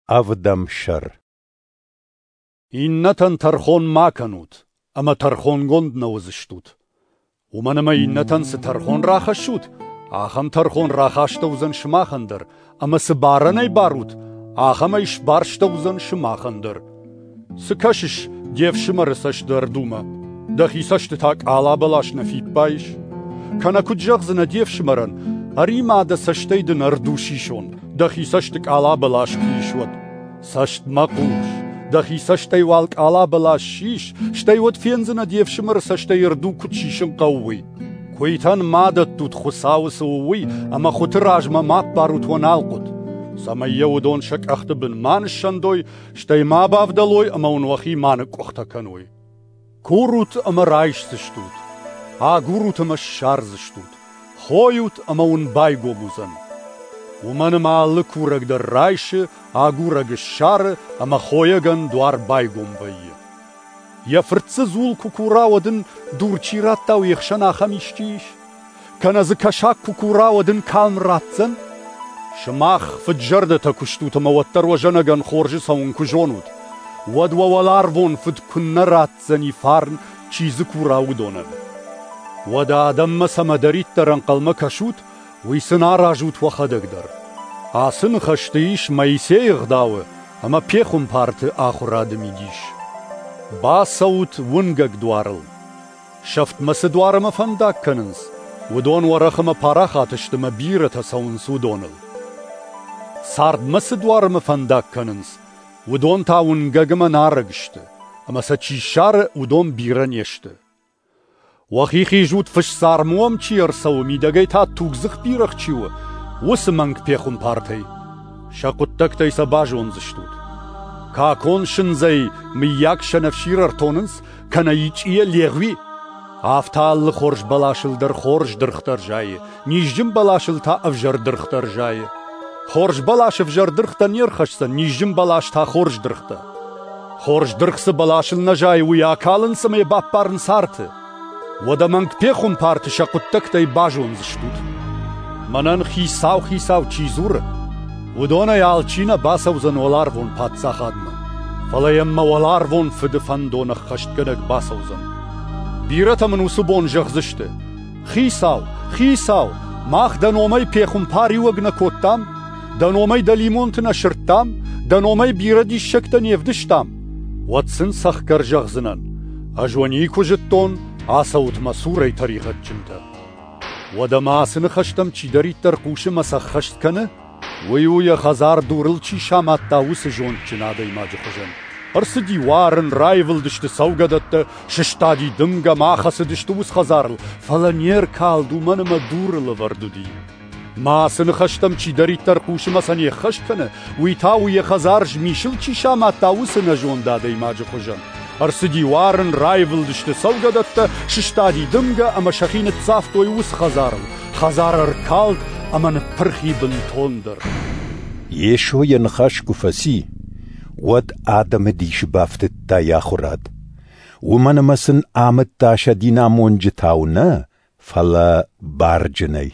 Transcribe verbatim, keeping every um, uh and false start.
Ӕвдӕм сӕр. Иннӕтӕн тӕрхон ма кӕнут, ӕмӕ тӕрхонгонд нӕ уыдзыстут. Уымӕн ӕмӕ иннӕтӕн цы тӕрхон рахӕссут, ахӕм тӕрхон рахастӕуыдзӕн сымахӕн дӕр, ӕмӕ цы барӕнӕй барут, ахӕмӕй сбарстӕуыдзӕн сымахӕн дӕр. Цы кӕсыс де фсымӕры цӕсты ӕрдумӕ? Дӕхи цӕсты та къала бӕлас нӕ фиппайыс? Кӕнӕ куыд зӕгъдзынӕ де фсымӕрӕн, ӕри-ма дӕ цӕстӕй дын ӕрду сисон, дӕхи цӕсты къала бӕлас куы ис, уӕд? Цӕстмӕ хъус, дӕхи цӕстӕй уал къала бӕлас сис, стӕй уӕд фендзынӕ де фсымӕры цӕстӕй ӕрду куыд сисын хъӕуы, уый. Куыйтӕн ма дӕттут Хуыцауы цы у, уый, ӕмӕ хуыты размӕ ма ппарут уӕ налхъуыт, цӕмӕй йӕ уыдон сӕ къӕхты бын ма ныссӕндой, стӕй ма бавдӕлой ӕмӕ уын уӕхи ма ныкъкъуыхтӕ кӕной. Курут ӕмӕ райсдзыстут, агурут ӕмӕ ссардзыстут, хойут ӕмӕ уын байгом уыдзӕн. Уымӕн ӕмӕ алы курӕг дӕр райсы, агурӕг ссары ӕмӕ хойӕгӕн дуар байгом вӕййы. Йӕ фырт дзы дзул куы кура, уӕд ын дур чи радта, уе хсӕн ахӕм исчи ис? Кӕнӕ дзы кӕсаг куы кура, уӕд ын калм ратдзӕн? Сымах фыд-зӕрдӕтӕ куы стут ӕмӕ уӕддӕр уӕ зӕнӕгӕн хорзы цӕуын куы зонут, уӕд уӕ уӕларвон фыд куыннӕ ратдзӕни фарн, чи дзы кура, уыдонӕн. Уӕдӕ адӕммӕ цӕмӕдӕриддӕр ӕнхъӕлмӕ кӕсут, уый сын аразут уӕхӕдӕг дӕр. Ацы ныхӕсты ис Моисейы ӕгъдауы ӕмӕ пехуымпарты ахуырады мидис. Бацӕут уынгӕг дуарыл. Сӕфтмӕ цы дуар ӕмӕ фӕндаг кӕнынц, уыдон уӕрӕх ӕмӕ парахат сты ӕмӕ бирӕтӕ цӕуынц уыдоныл. Цардмӕ цы дуар ӕмӕ фӕндаг кӕнынц, уыдон та уынгӕг ӕмӕ нарӕг сты, ӕмӕ сӕ чи ссары, уыдон бирӕ не сты. Уӕхи хизут фысдзарм уӕм чи ӕрцӕуы, мидӕгӕй та тугдзых бирӕгъ чи у, уыцы мӕнг пехуымпартӕй. Сӕ хъуыддӕгтӕй сӕ базондзыстут. Какон сындзӕй мыййаг сӕнӕфсир ӕртонынц, кӕнӕ ичъийӕ легъуи? Афтӕ алы хорз бӕласыл дӕр хорз дыргътӕ рзайы, низджын бӕласыл та ӕвзӕр дыргътӕ рзайы. Хорз бӕлас ӕвзӕр дыргътӕ не рхӕсдзӕн, низджын бӕлас та хорз дыргътӕ. Хорз дыргъ цы бӕласыл нӕ зайы, уый акалынц ӕмӕ йӕ баппарынц арты. Уӕдӕ мӕнг пехуымпарты сӕ хъуыддӕгтӕй базондзыстут. Мӕнӕн хицау, хицау чи дзуры, уыдонӕй алчи нӕ бацӕудзӕн уӕларвон паддзахадмӕ, фӕлӕ йӕм мӕ уӕларвон фыды фӕндон ӕххӕстгӕнӕг бацӕудзӕн. Бирӕтӕ мын уыцы бон зӕгъдзысты: Хицау, хицау, мах дӕ номӕй пехуымпариуӕг нӕ кодтам, дӕ номӕй дӕлимонты нӕ сырдтам, дӕ номӕй бирӕ диссӕгтӕ не вдыстам. Уӕд сын цӕхгӕр зӕгъдзынӕн: ӕз уӕ никуы зыдтон, ацӕут мӕ цурӕй тӕригъӕдджынтӕ. Уӕдӕ ма ацы ныхӕстӕм чидӕриддӕр хъусы ӕмӕ сӕ ӕххӕст кӕны, уый у йӕ хӕдзар дурыл чи самадта, уыцы зондджын адӕймаджы хуызӕн. Ӕрцыди уарын, раивылдысты цӕугӕдӕттӕ, сыстади дымгӕ, ма хӕцыдысты уыцы хӕдзарыл, фӕлӕ не ркалд, уымӕн ӕмӕ дурыл ӕвӕрд уыди. Ма ацы ныхӕстӕм чидӕриддӕр хъусы ӕмӕ сӕ не ххӕст кӕны, уый та у йӕ хӕдзар змисыл чи самадта, уыцы нӕзонд адӕймаджы хуызӕн. Ӕрцыди уарын, раивылдысты цӕугӕдӕттӕ, сыстади дымгӕ ӕмӕ сӕхи ныццавтой уыцы хӕдзарыл. Хӕдзар ӕркалд ӕмӕ ныппырх и бынтондӕр. Йесо йӕ ныхас куы фӕци, уӕд адӕмы дисы бафтыдта йӕ ахуырад. Уымӕн ӕмӕ сын амыдта сӕ динамонджытау нӕ, фӕлӕ барджынӕй.